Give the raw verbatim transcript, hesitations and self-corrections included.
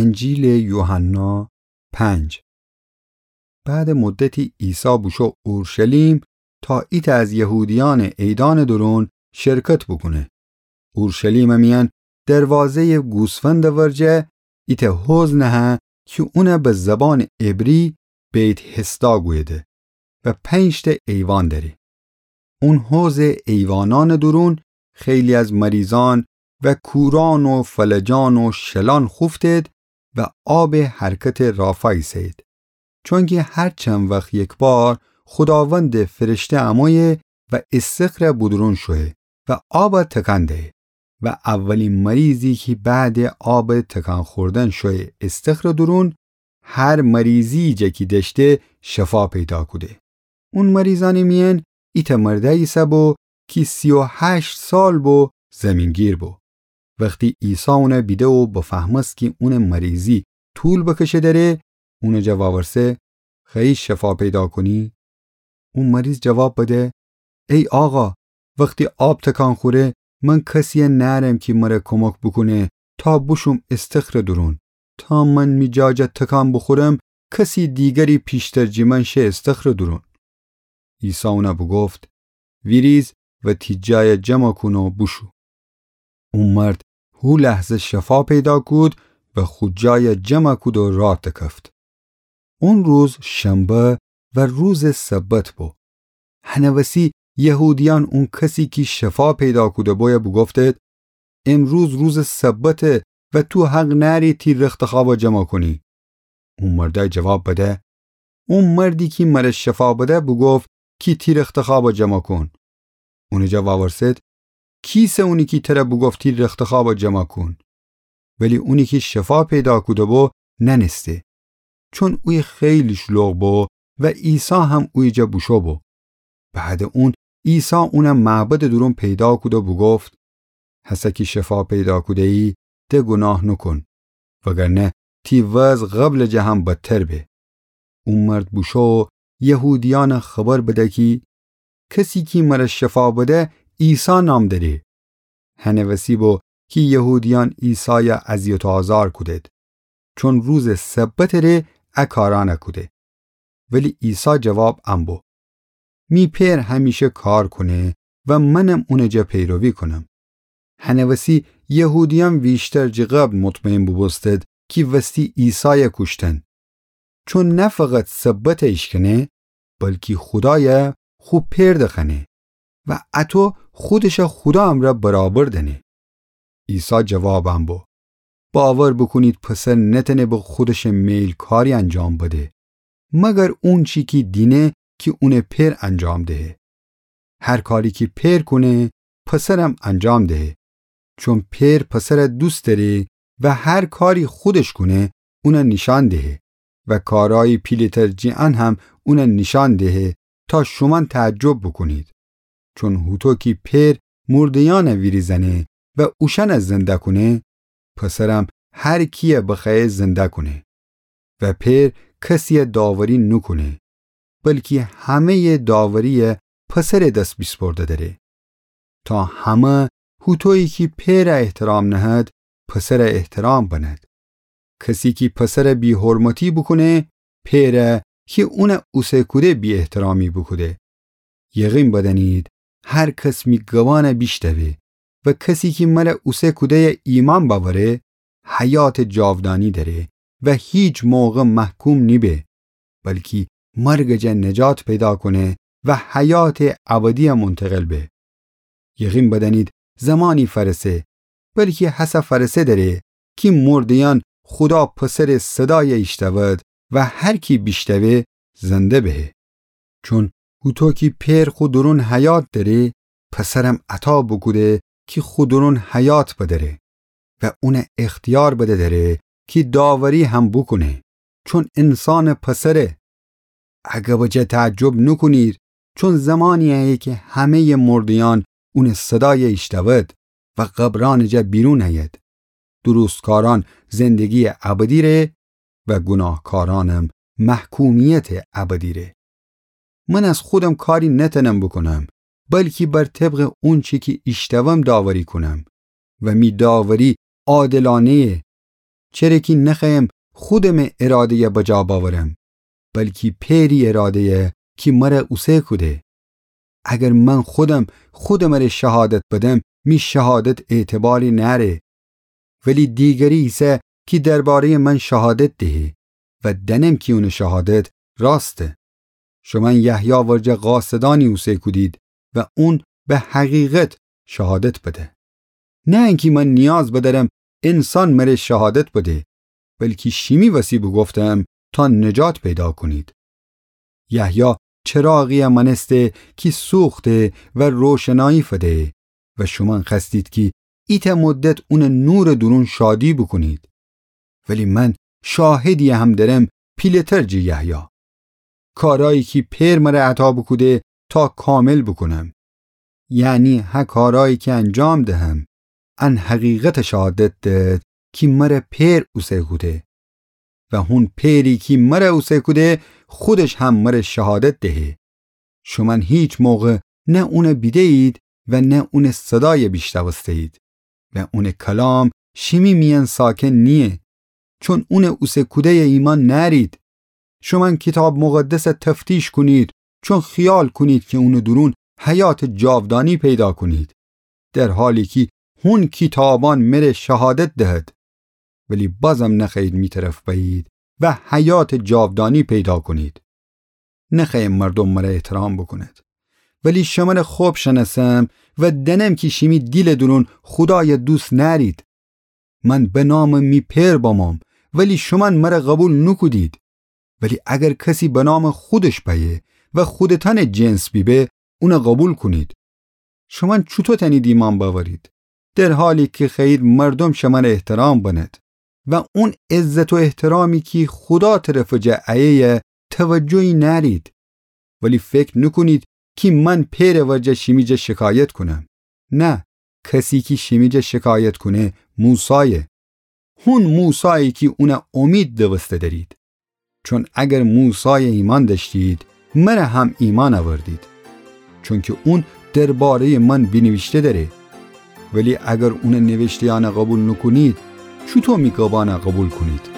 انجیلٚ یوحنا پنج. بعدٚ مدتی عیسی بوشو اورشلیم تا ایتأ از یهودیأنٚ عیدأنٚ دورون شرکت بوکونه. اورشلیمٚ میأن دروازه‌یٚ گوسفندٚ ورجه ایتأ حوض نهه کی اون به زبانٚ عبری بیت حسدا گویده و پنج‌تأ ایوان دأره. اون حوضٚ ایوانأنٚ دورون خیلی از مریضأن و کورأن و فلجأن و شلأن خوفتید و آبٚ حرکتٚ رافا ایسه‌یید. چونکی هر چند وخت یکبار خوداوندٚ فرشته امویه و استخرٚ بودورون شویه و آب تکان دهه و اولی مریضی کی بعدٚ آب تکان خوردن شویه استخرٚ دورون، هر مریضی جه کی دأشته شفا پیدا کوده. اون مریضأنٚ میأن ایتأ مردأی ایسه‌بو کی سی و هشت سال بو زیمین‌گیر بو. وختی عیسی اون بیده و بفهمست کی اونٚ مریضی طول بکشه دأره، اونٚ جا وأورسه: خوأیی شفا پیدا کونی؟ او مریض جواب بده: ای آقا، وختی آب تکان خوره، من کسیی نأرم کی مر کمک بوکونه تا بوشوم استخرٚ دورون. تا من می جا جا تکان بوخورم، کسی دیگری پیشتر جی من شه استخرٚ دورون. عیسی اون بوگفت: ویریز و تی جای جمع کون و بوشو. او مرد هو لحظه شفا پیدا کود و خو جای جمع کود و راه دکفت. اون روز شنبه و روزٚ سبت بو. هنٚ وسی یهودیأن اون کسی کی شفا پیدا کوده بویه بوگفتید: امروز روزٚ سبته و تو حق نأری تی رختخوابا جمع کونی. او مردأی جواب بده: او مردی کی مر شفا بده بوگفت کی تی رختخوابا جمع کون. اونٚ جا وأورسد: کیسه اونی کی تر بوگفت تی رختخوابا جمع کون؟ ولی اونی کی شفا پیدا کوده بو نأنسته، چون اویه خیلی شلوغ بو و عیسی هم اویه جا بوشو بو. بعدٚ اون عیسی اون معبدٚ دورون پیدا کود و بوگفت: هسه کی شفا پیدا کوده‌یی، د گوناه نوکون، وگرنه تی وضع قبلٚ جه هم بدتر به. او مرد بوشو و یهودیأن خبر بده کی کسی کی مر شفا بده عیسی نام دأره. هنٚ وسی بو کی یهودیأن عیسای اذیت و آزار کودید، چون روزٚ سبتٚ ره ا کارأن کوده. ولی عیسی جواب ان بو: می پئر همیشه کار کونه و منم اونٚ جا پیروی کونم. هنٚ وسی یهودیأن ویشتر جه قبل مطمئن بوبوستید کی وستی عیسای کوشتن، چون نه فقط سبت ایشکنه، بلکی خودای خو پئر دخوأنه و اطو خودش خودا امرأ برابر دأنه. عیسی جواب ان بو: باور بوکونید، پسر نتأنه به خودش میل کاری انجام بده، مگر اونچی کی دینه کی اونٚ پئر انجام دهه. هر کاری کی پئر کونه، پسرم انجام دهه. چون پئر پسر دوست دأره و هر کاری خودش کونه، اون نیشأن دهه و کارأیی پیله‌تر جٚه ان هم اون نیشأن دهه تا شومأن تعجب بوکونید. چون هوطو کی پئر مرده‌یأن ویریزأنه و اوشأن زنده کونه، پسرم هر کیی بخوأیه زنده کونه. و پئر کسیی داوری نوکونه، بلکی همه‌یٚ داوریی پسرٚ دس بیسپرده دأره، تا همه هوطویی کی پئر احترام نهد، پسر احترام بنهد. کسی کی پسر بی‌حرمتی بوکونه، پئر کی اون اوسه کوده بی‌احترامی بوکوده. یقین بدأنید، هر کس می گبأن بیشنوه و کسی کی مر اوسه کوده‌ی ایمأن بأوره، حیاتٚ جاودانی دأره و هیچ موقع محکوم نیبه، بلکی مرگٚ جا نجات پیدا کونه و حیاتٚ ابدی منتقل به. یقین بدأنید، زمانی فأرسه، بلکی هسه فأرسه دأره، کی مرده‌یأن خودا پسرٚ صدای ایشتأود و هر کی بیشنوه زنده بهه. چون هوطو کی پئر خو دورون حیات دأره، پسرم عطا بوکوده کی خو دورون حیات بدأره و اون اختیار بده دأره کی داوری هم بوکونه، چون انسانٚ پسره. اگر بجه تعجب نوکونید، چون زمانی ایه کی همه‌یٚ مرده‌یأن اونٚ صدای ایشتأود و قبرأنٚ جا بیرون ایید. درستکارأن زندگییٚ ابدی ره و گوناهکارأنم محکومیتٚ ابدی ره. من از خودم کاری نتأنم بوکونم، بلکی بر طبقٚ اونچی کی ایشتأوم داوری کونم و می داوری عادلأنه‌یه. چره کی نخوأیم خودٚمٚ اراده‌یَ بجا بأورم، بلکی پئری اراده‌یَ کی مرَ اوسه کوده. اگر من خودم خودٚ مرَ شهادت بدم، می شهادت اعتباری نأره. ولی دیگری ایسه کی درباره‌یٚ من شهادت دهه و دأنم کی اونٚ شهادت راسته. شومأن یحیی ورجه قاصدأنی اوسه کودید و اون به حقیقت شهادت بده. نه انکی من نیاز بدأرم انسان مرَ شهادت بده، بلکی شیمی وسی بوگفتم تا نجات پیدا کونید. یحیی چراغی‌یَ مأنسته کی سوخته و روشنایی فده و شومأن خوأستید کی ایتأ مدت اونٚ نورٚ دورون شادی بوکونید. ولی من شاهدی‌یی هم دأرم پیله‌تر جٚه یحیی. کارأیی کی پئر مرَ عطا بوکوده تا کامل بوکونم. یعنی هه کارأیی کی انجام دهم، ان حقیقتَ شهادت دهد کی مرَ پئر اوسه کوده. و هون پئری کی مرَ اوسه کوده، خودش هم مرَ شهادت دهه. شومأن هیچ موقع نه اونَ بیده‌یید و نه اونٚ صدایَ بیشنوسته‌یید و اونٚ کلام شیمی میأن ساکن نییه، چون اونٚ اوسه کوده‌یَ ایمأن نأرید. شومأن کیتاب مقدسَ تفتیش کونید، چون خیال کونید کی اونٚ دورون حیاتٚ جاودانی پیدا کونید، در حالی کی هون کیتابأن مرَ شهادت دهد. ولی بازم نخوأیید می طرف بأیید و حیاتٚ جاودانی پیدا کونید. نخوأیم مردوم مرَ احترام بوکوند. ولی شمرَ خب شنأسم و دأنم کی شیمی دیلٚ دورون خودایَ دوست نأرید. من به نامٚ می پئر بموم، ولی شومأن مرَ قوبیل نوکودید. ولی اگر کسی به نامٚ خودش بأیه و خودتأنٚ جنس بیبه، اونَ قوبیل کونید. شومأن چوطو تأنید ایمأن بأورید، در حالی کی خوأیید مردوم شمرَ احترام بنید و اون عزت و احترامی کی خودا طرفٚ جا ایه‌یه توجهی نأرید؟ ولی فکر نوکونید کی من پئرٚ ورجه شیمی جا شکایت کونم. نه، کسی کی شیمی جا شکایت کونه موسایه. هون موسایی کی اونَ امید دوسته دأرید. چون اگر موسایَ ایمأن دأشتید، مرَ هم ایمأن اوردید. چونکی اون درباره‌یٚ من بینیویشته دأره. ولی اگر اونٚ نیویشته‌یأنَ قوبیل نوکونید، چوطو می گبأنَ قوبیل کونید؟